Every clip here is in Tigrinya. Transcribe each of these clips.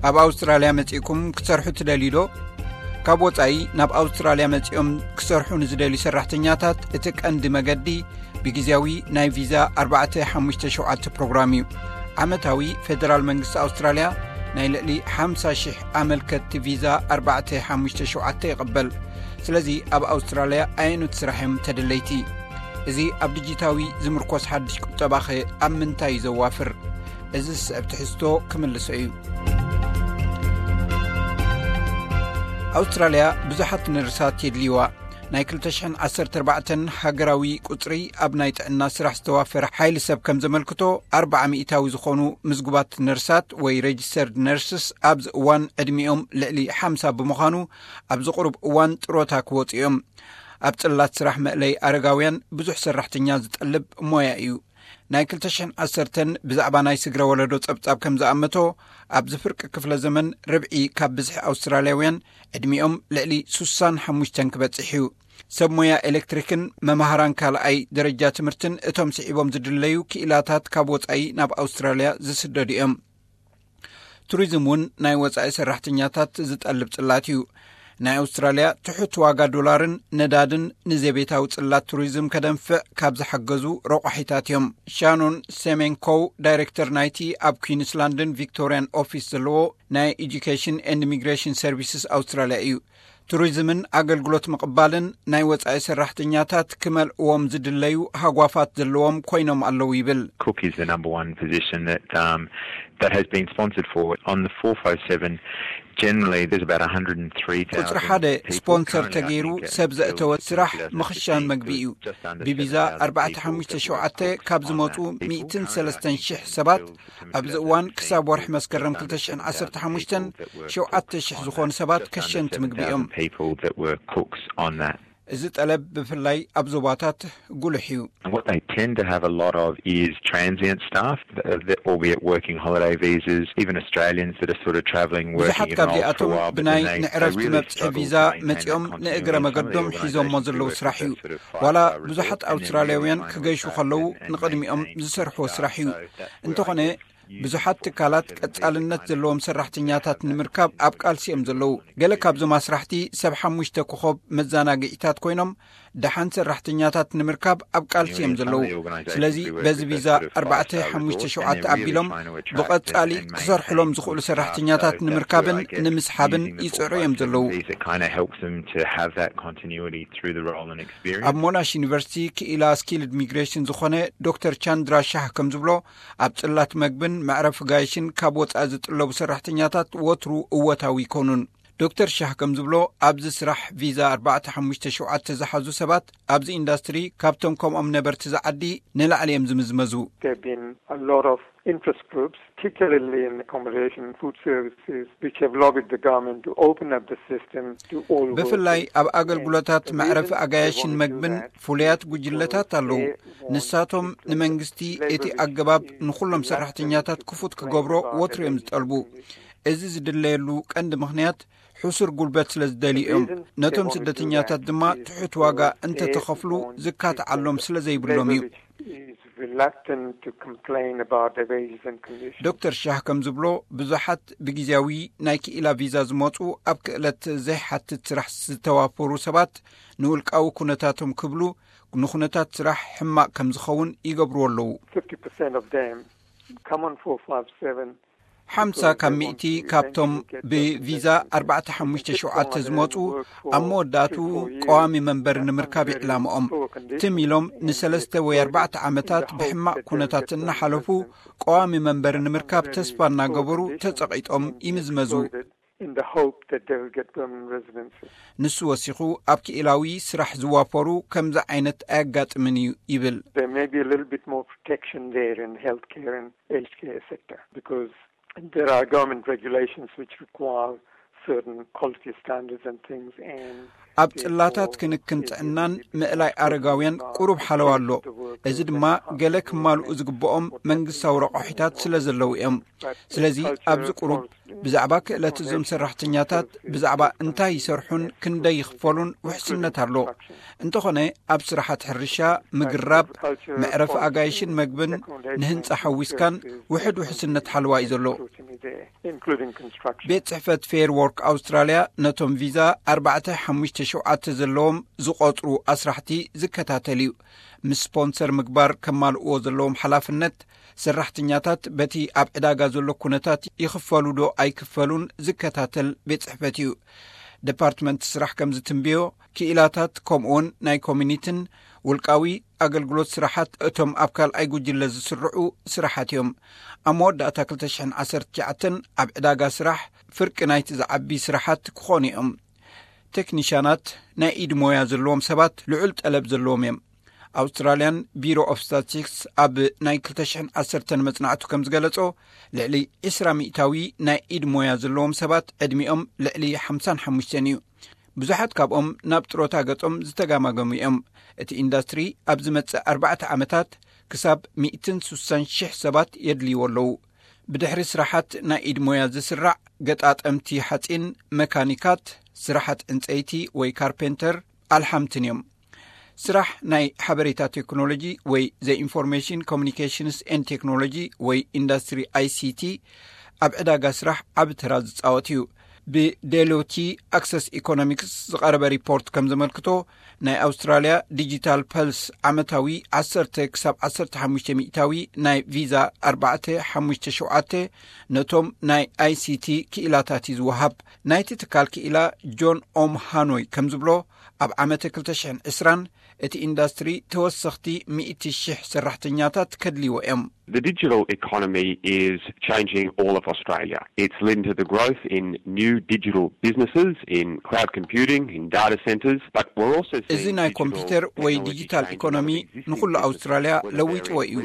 ኣብ ኣውስትራልያ መጺእኩም ክትሰርሑ ትደልዩ ዶ? ካብ ወጻኢ ናብ ኣውስትራልያ መጺኦም ክሰርሑ ንዝደልዩ ሰራሕተኛታት እቲ ቀንዲ መገዲ ብግዜያዊ ናይ ቪዛ ኣርባዕተ ሓሙሽተ ሸውዓተ ፕሮግራም እዩ። ዓመታዊ ፌደራል መንግስቲ ኣውስትራልያ ናይ ልዕሊ ሓምሳ ሽሕ ኣመልከትቲ ቪዛ ኣርባዕተ ሓሙሽተ ሸውዓተ ይቕበል። ስለዚ ኣብ ኣውስትራልያ ኣየኖት ስራሕ እዮም ተደለይቲ? እዚ ኣብ ዲጂታዊ ዝምርኮስ ሓድሽ ቁጠባኸ ኣብ ምንታይ እዩ ዘዋፍር? እዚ ዝስዕብ ትሕዝቶ ክምልሶ እዩ። ኣውስትራልያ ብዙሓት ነርሳት የድልይዋ። ናይ ክልተ ሽሕን ዓሰርተ ኣርባዕተን ሃገራዊ ቁጽሪ ኣብ ናይ ጥዕና ስራሕ ዝተዋፈረ ሓይሊ ሰብ ከም ዘመልክቶ፣ ኣርብዓ ሚእታዊ ዝኾኑ ምዝጉባት ነርሳት ወይ ሬጅስተርድ ነርስስ ኣብዚ እዋን ዕድሚኦም ልዕሊ ሓምሳ ብምዃኑ ኣብዚ ቁሩብ እዋን ጥሮታ ክወጹ እዮም። ኣብ ጽላት ስራሕ መእለይ ኣረጋውያን ብዙሕ ሰራሕተኛ ዝጠልብ ሞያ እዩ። ናይ ክልተ ሽሕን ዓሰርተን ብዛዕባ ናይ ስግረ ወለዶ ጸብጻብ ከም ዝኣመቶ፣ ኣብዚ ፍርቂ ክፍለ ዘመን ርብዒ ካብ ብዝሒ ኣውስትራልያውያን ዕድሚኦም ልዕሊ ሱሳን ሓሙሽተን ክበጽሕ እዩ። ሰብ ሞያ ኤሌክትሪክን መማህራን ካልኣይ ደረጃ ትምህርትን እቶም ስዒቦም ዝድለዩ ክኢላታት ካብ ወጻኢ ናብ ኣውስትራልያ ዝስደዱ እዮም። ቱሪዝም እውን ናይ ወጻኢ ሰራሕተኛታት ዝጠልብ ጽላት እዩ። ናይ ኣውስትራልያ ትሑት ዋጋ ዶላርን ነዳድን ንዘቤታዊ ጽላት ቱሪዝም ከደንፍዕ ካብ ዝሓገዙ ረቋሒታት እዮም። ሻኖን ሴሜንኮው ዳይሬክተር ናይቲ ኣብ ኩዊንስላንድን ቪክቶርያን ኦፊስ ዘለዎ ናይ ኤጁኬሽን ኤንድ ኢሚግሬሽን ሰርቪስስ ኣውስትራልያ እዩ። ቱሪዝምን ኣገልግሎት ምቕባልን ናይ ወጻኢ ሰራሕተኛታት ክመልእዎም ዝድለዩ ሃጓፋት ዘለዎም ኮይኖም ኣለዉ ይብል። Cook is the number one position that um, that has been sponsored for on the four five seven. Generally, there's about one hundred and three thousand ቁጽሪ ሓደ people ስፖንሰር currently, I ተገይሩ think, uh, ሰብ ዘእተወ till ስራሕ two thousand fifteen, ምኽሻን መግቢ እዩ። Just under ብቪዛ seven thousand ኣርባዕተ people ሓሙሽተ that ሸውዓተ work ካብ on ዝመጹ that people ሚእትን ሰለስተን ሽሕ ሰባት ኣብዚ እዋን ክሳብ ወርሒ መስከረም ክልተ ሽሕን ዓሰርተ ሓሙሽተን ሸውዓተ ሽሕ ዝኾኑ ሰባት ከሸንቲ ምግቢ እዮም። People that were cooks on that. እዚ ጠለብ ብፍላይ ኣብ ዞባታት ጉልሕ እዩ። And what they tend to have a lot of is transient staff, uh, that, albeit working holiday visas, even Australians that are sort of travelling, working ብዙሓት even old ካብዚኣቶም for a while, but ብናይ then they, they ንዕረፍቲ really መብጽሒ struggle ቪዛ to maintain መጺኦም that continuity. ንእግረ And some of the መገዶም ሒዞሞ organisations ዘለዉ do work ስራሕ with እዩ። that sort of ዋላ five-star ብዙሓት resort and then really ኣውስትራልያውያን trying to ክገይሹ work ከለዉ out and ንቕድሚኦም maintain ዝሰርሕዎ ስራሕ እዩ። Staff, uh, እንተኾነ፣ ብዙሓት ትካላት ቀጻልነት ዘለዎም ሰራሕተኛታት ንምርካብ ኣብ ቃልሲ እዮም ዘለዉ። ገለ ካብዞም ኣስራሕቲ ሰብ ሓሙሽተ ኮኾብ መዘናግዒታት ኮይኖም፣ ደሓን ሰራሕተኛታት ንምርካብ ኣብ ቃልሲ እዮም ዘለዉ። ስለዚ በዚ ቪዛ ኣርባዕተ ሓሙሽተ ሸውዓተ ኣቢሎም ብቐጻሊ ክሰርሕሎም ዝኽእሉ ሰራሕተኛታት ንምርካብን ንምስሓብን ይጽዕሩ እዮም ዘለዉ። These that kind of helps them to have that continuity through the role and experience. ኣብ ሞናሽ ዩኒቨርሲቲ ክኢላ ስኪልድ ሚግሬሽን ዝኾነ ዶክተር ቻንድራ ሻህ ከም ዝብሎ፣ ኣብ ጽላት መግብን መዕረፊ ጋይሽን ካብ ወጻኢ ዝጥለቡ ሰራሕተኛታት ወትሩ እወታዊ ይኮኑን። ዶክተር ሻህ ከም ዝብሎ፣ ኣብዚ ስራሕ ቪዛ ኣርባዕተ ሓሙሽተ ሸውዓተ ዝሓዙ ሰባት ኣብዚ ኢንዳስትሪ ካብቶም ከምኦም ነበርቲ ዝዓዲ ንላዕሊ እዮም ዝምዝመዙ። There have been a lot of interest groups, particularly in accommodation and food services, which have lobbied the government to open up the system to all ብፍላይ workers ኣብ ኣገልግሎታት and the መዕረፊ reason they ኣጋይሽን want to do መግብን that ፍሉያት is ጉጅለታት because ኣለዉ። They want ንሳቶም to place ንመንግስቲ labor እቲ restrictions ኣገባብ ንኹሎም ሰራሕተኛታት ክፉት ክገብሮ ወትሩ እዮም ዝጠልቡ። እዚ ዝድለየሉ ቀንዲ ምኽንያት ሕሱር ጉልበት ስለ ዝደልዩ እዮም። ነቶም ስደተኛታት ድማ ትሑት ዋጋ እንተተኸፍሉ ዝካትዓሎም ስለ ዘይብሎም እዩ። Is reluctant to complain about the wages and conditions. ዶክተር ሻህ ከም ዝብሎ፣ ብዙሓት ብግዜያዊ ናይ ክኢላ ቪዛ ዝመጹ ኣብ ክእለት ዘይሓትት ስራሕ ዝተዋፈሩ ሰባት ንውልቃዊ ኩነታቶም ክብሉ ንኩነታት ስራሕ ሕማቕ ከም ዝኸውን ይገብርዎ ኣለዉ። Fifty percent of them come on four five seven ሓምሳ ካብ ሚእቲ ካብቶም ብቪዛ ኣርባዕተ ሓሙሽተ ሸውዓተ ዝመጹ ኣብ መወዳእቱ ቀዋሚ መንበሪ ንምርካብ ይዕላምኦም። ትም ኢሎም ንሰለስተ ወይ ኣርባዕተ ዓመታት ብሕማቕ ኩነታት እናሓለፉ ቀዋሚ መንበሪ ንምርካብ ተስፋ እናገበሩ ተጸቒጦም ይምዝመዙ። In the hope that they will get permanent residency. ንሱ ወሲኹ ኣብ ክኢላዊ ስራሕ ዝዋፈሩ ከምዚ ዓይነት ኣየጋጥምን እዩ ይብል። There may be a little bit more protection there in healthcare and aged care sector because there are government regulations which require certain quality standards and things, and ኣብ ጽላታት ክንክን ጥዕናን ምእላይ ኣረጋውያን ቁሩብ ሓለዋ ኣሎ። እዚ ድማ ገለ ክማልኡ ዝግብኦም መንግስታዊ ረቋሒታት ስለ ዘለዉ እዮም። ስለዚ ኣብዚ ቁሩብ ብዛዕባ ክእለት እዞም ሰራሕተኛታት፣ ብዛዕባ እንታይ ይሰርሑን ክንደይ ይኽፈሉን ውሕስነት ኣሎ። እንተኾነ ኣብ ስራሓት ሕርሻ፣ ምግራብ፣ መዕረፊ ኣጋይሽን መግብን ንህንጻ ሓዊስካን ውሕድ ውሕስነት ሓለዋ እዩ ዘሎ። ቤት ጽሕፈት ፌር ወርክ ኣውስትራልያ ነቶም ቪዛ ኣርባዕተ ሓሙሽተ ሸውዓተ ዘለዎም ዝቖጽሩ ኣስራሕቲ ዝከታተል እዩ። ምስ ስፖንሰር ምግባር ከማልእዎ ዘለዎም ሓላፍነት፣ ሰራሕተኛታት በቲ ኣብ ዕዳጋ ዘሎ ኩነታት ይኽፈሉ ዶ ኣይክፈሉን ዝከታተል ቤት ጽሕፈት እዩ። ዲፓርትመንት ስራሕ ከም ዝትንብዮ፣ ክኢላታት ከምኡውን ናይ ኮሚኒቲን ውልቃዊ ኣገልግሎት ስራሓት እቶም ኣብ ካልኣይ ጉጅለ ዝስርዑ ስራሓት እዮም። ኣብ መወዳእታ ክልተ ሽሕን ዓሰርተ ትሽዓተን ኣብ ዕዳጋ ስራሕ ፍርቂ ናይቲ ዝዓቢ ስራሓት ክኾኑ እዮም። ቴክኒሻናት፣ ናይ ኢድ ሞያ ዘለዎም ሰባት ልዑል ጠለብ ዘለዎም እዮም። ኣውስትራልያን ቢሮ ኦፍ ስታቲስቲክስ ኣብ ናይ ክልተ ሽሕን ዓሰርተን መጽናዕቱ ከም ዝገለጾ፣ ልዕሊ ዕስራ ሚእታዊ ናይ ኢድ ሞያ ዘለዎም ሰባት ዕድሚኦም ልዕሊ ሓምሳን ሓሙሽተን እዩ። ብዙሓት ካብኦም ናብ ጥሮታ ገጾም ዝተጋማገሙ እዮም። እቲ ኢንዳስትሪ ኣብ ዝመጽእ ኣርባዕተ ዓመታት ክሳብ ሚእትን ስሳን ሽሕ ሰባት የድልይዎ ኣለዉ። ብድሕሪ ስራሓት ናይ ኢድ ሞያ ዝስራዕ ገጣጠምቲ ሓጺን፣ መካኒካት፣ ስራሓት ዕንጸይቲ ወይ ካርፔንተር፣ ኣልሓምትን እዮም። ስራሕ ናይ ሓበሬታ ቴክኖሎጂ ወይ ዘ ኢንፎርሜሽን ኮሚኒኬሽንስ ኤን ቴክኖሎጂ ወይ ኢንዳስትሪ ኣይሲቲ ኣብ ዕዳጋ ስራሕ ዓቢ ተራ ዝጻወት እዩ። ብዴሎቲ ኣክሰስ ኢኮኖሚክስ ዝቐረበ ሪፖርት ከም ዘመልክቶ፣ ናይ ኣውስትራልያ ዲጂታል ፐልስ ዓመታዊ ዓሰርተ ክሳብ ዓሰርተ ሓሙሽተ ሚእታዊ ናይ ቪዛ ኣርባዕተ ሓሙሽተ ሸውዓተ ነቶም ናይ ኣይሲቲ ክኢላታት እዩ ዝወሃብ። ናይቲ ትካል ክኢላ ጆን ኦም ሃኖይ ከም ዝብሎ፣ ኣብ ዓመተ ክልተ ሽሕን ዕስራን እቲ ኢንዳስትሪ ተወሰኽቲ ሚእቲ ሽሕ ሰራሕተኛታት ከድልይዎ እዮም። The digital economy is changing all of Australia. It's led to the growth in new digital businesses, in cloud computing, in data centres, but we're also እዚ seeing ናይ digital ኮምፒውተር ወይ technology ዲጂታል change ኢኮኖሚ ንኹሉ ኣውስትራልያ ለዊጥዎ እዩ።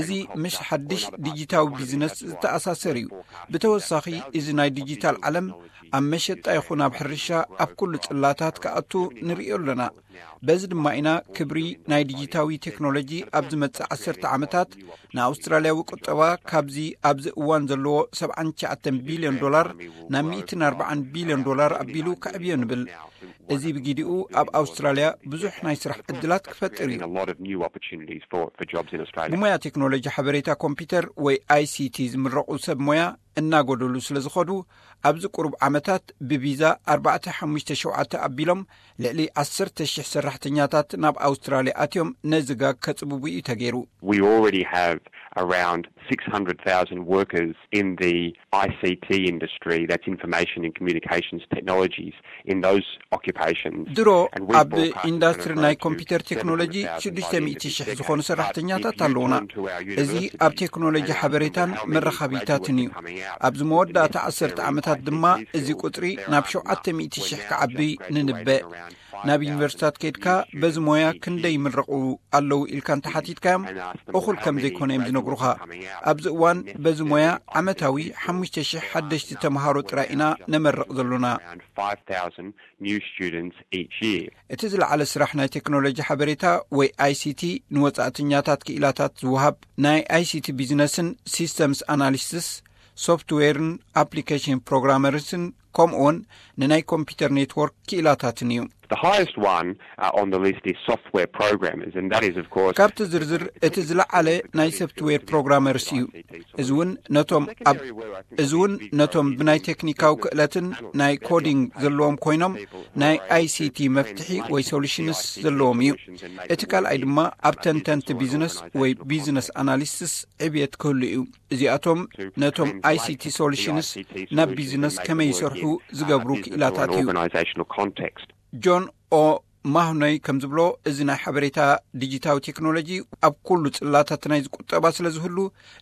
እዚ ምስ ሓድሽ ዲጂታዊ ቢዝነስ ዝተኣሳሰር እዩ። ብተወሳኺ፣ እዚ ናይ ዲጂታል ዓለም ኣብ መሸጣ ይኹን ኣብ ሕርሻ ኣብ ኩሉ ጽላታት ክኣቱ ንርእዮ ኣለና። በዚ ድማ ኢና ክብሪ ናይ ዲጂታዊ ቴክኖሎጂ ኣብ ዝመጽእ ዓሰርተ ዓመታት ንኣውስትራልያዊ ቁጠባ ካብዚ ኣብዚ እዋን ዘለዎ ሰብዓን ትሽዓተን ቢልዮን ዶላር ናብ ሚእትን ኣርባዓን ቢልዮን ዶላር ኣቢሉ ከዕብዮ ንብል። እዚ ብጊዲኡ ኣብ ኣውስትራልያ ብዙሕ ናይ ስራሕ ዕድላት ክፈጥር እዩ። ብሞያ ቴክኖሎጂ ሓበሬታ ኮምፒውተር ወይ ኣይሲቲ ዝምረቑ ሰብ ሞያ እናጎደሉ ስለ ዝኸዱ፣ ኣብዚ ቁሩብ ዓመታት ብቪዛ ኣርባዕተ ሓሙሽተ ሸውዓተ ኣቢሎም ልዕሊ ዓሰርተ ሽሕ ሰራሕተኛታት ናብ ኣውስትራልያ ኣትዮም ነዚ ጋግ ከጽብቡ እዩ ተገይሩ። We already have around six hundred thousand workers in the I C T industry, that's information and communications technologies, in those occupations. ድሮ ኣብ ኢንዳስትሪ ናይ ኮምፒውተር ቴክኖሎጂ ሽዱሽተ ሚእቲ ሽሕ ዝኾኑ ሰራሕተኛታት ኣለዉና። እዚ ኣብ ቴክኖሎጂ ሓበሬታን መራኸቢታትን እዩ። ኣብዚ መወዳእታ ዓሰርተ ዓመታት ድማ እዚ ቁጽሪ ናብ ሸውዓተ ሚእቲ ሽሕ ክዓቢ ንንበ። ናብ ዩኒቨርሲታት ከይድካ በዚ ሞያ ክንደይ ይምረቑ ኣለዉ ኢልካ እንተሓቲትካዮም፣ እኹል ከም ዘይኮነ እዮም ዝነግሩኻ። ኣብዚ እዋን በዚ ሞያ ዓመታዊ ሓሙሽተ ሽሕ ሓደሽቲ ተምሃሮ ጥራይ ኢና ነመርቕ ዘሎና። New students each year. እቲ ዝለዓለ ስራሕ ናይ ቴክኖሎጂ ሓበሬታ ወይ ኣይሲቲ ንወጻእተኛታት ክኢላታት ዝወሃብ ናይ ኣይሲቲ ቢዝነስን ሲስተምስ ኣናሊስትስ፣ ሶፍትዌርን ኣፕሊኬሽን ፕሮግራመርስን፣ ከምኡውን ንናይ ኮምፒውተር ኔትወርክ ክኢላታትን እዩ። The highest one, uh, on the list is software programmers, and that is, of course, ካብቲ ዝርዝር እቲ ዝለዓለ ናይ ሶፍትዌር ፕሮግራመርስ እዩ። እዚ እውን ነቶም ኣብ እዚ እውን ነቶም ብናይ ቴክኒካዊ ክእለትን ናይ ኮዲንግ ዘለዎም ኮይኖም፣ ናይ ኣይሲቲ መፍትሒ ወይ ሶሉሽንስ ዘለዎም እዩ። እቲ ካልኣይ ድማ ኣብ ተንተንቲ ቢዝነስ ወይ ቢዝነስ ኣናሊስትስ ዕብየት ክህሉ እዩ። እዚኣቶም ነቶም ኣይሲቲ ሶሉሽንስ ናብ ቢዝነስ ከመይ ይሰርሑ ዝገብሩ ክኢላታት እዩ። ጆን ኦ ማህኖይ ከም ዝብሎ፣ እዚ ናይ ሓበሬታ ዲጂታዊ ቴክኖሎጂ ኣብ ኩሉ ጽላታት ናይ ዝቁጠባ ስለ ዝህሉ፣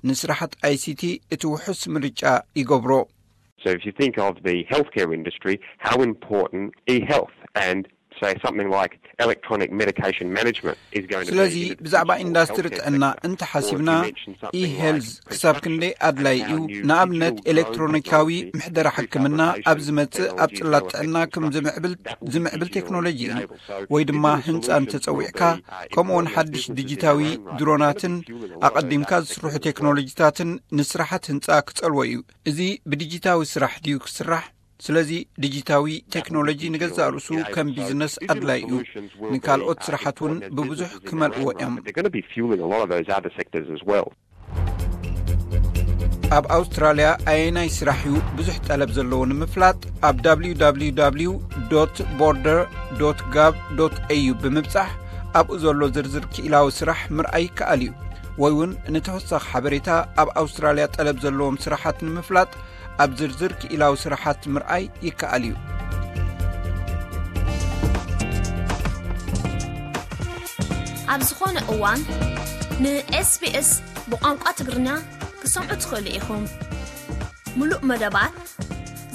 ንስራሓት ኣይሲቲ እቲ ውሑስ ምርጫ ይገብሮ። So if you think of the healthcare industry, how important e-health and say something like electronic medication management is going to ስለዚ ብዛዕባ ኢንዳስትሪ ጥዕና እንተሓሲብና፣ e-health ክሳብ ክንደይ ኣድላይ እዩ። ንኣብነት ኤሌክትሮኒካዊ ምሕደራ ሕክምና ኣብ ዝመጽእ ኣብ ጽላት ጥዕና ከም ዝምዕብል ቴክኖሎጂ እዩ። ወይ ድማ ህንጻ እንተጸዊዕካ፣ ከምኡውን ሓድሽ ዲጂታዊ ድሮናትን ኣቐዲምካ ዝስርሑ ቴክኖሎጂታትን ንስራሓት ህንጻ ክጸልዎ እዩ። እዚ ብዲጂታዊ ስራሕ ድዩ ክስራሕ? ስለዚ ዲጂታዊ ቴክኖሎጂ ንገዛእ ርእሱ ከም ቢዝነስ ኣድላይ እዩ። ንካልኦት ስራሓት እውን ብብዙሕ ክመልእዎ እዮም። ኣብ ኣውስትራልያ ኣየናይ ስራሕ እዩ ብዙሕ ጠለብ ዘለዎ ንምፍላጥ፣ ኣብ www border gov au ብምብጻሕ ኣብኡ ዘሎ ዝርዝር ክኢላዊ ስራሕ ምርኣይ ይከኣል እዩ። ወይ እውን ንተወሳኺ ሓበሬታ፣ ኣብ ኣውስትራልያ ጠለብ ዘለዎም ስራሓት ንምፍላጥ ኣብ ዝርዝር ክኢላዊ ስራሓት ምርኣይ ይከኣል እዩ። ኣብ ዝኾነ እዋን ን SBS ብቋንቋ ትግርኛ ክትሰምዑ ትኽእሉ ኢኹም። ሙሉእ መደባት፣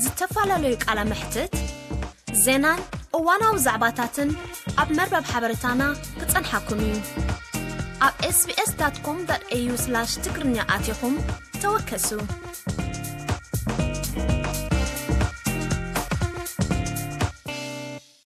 ዝተፈላለዩ ቃለ መሕትት፣ ዜናን እዋናዊ ዛዕባታትን ኣብ መርበብ ሓበሬታና ክጸንሓኩም እዩ። ኣብ sbs.com.au/ትግርኛ ኣቲኹም ተወከሱ።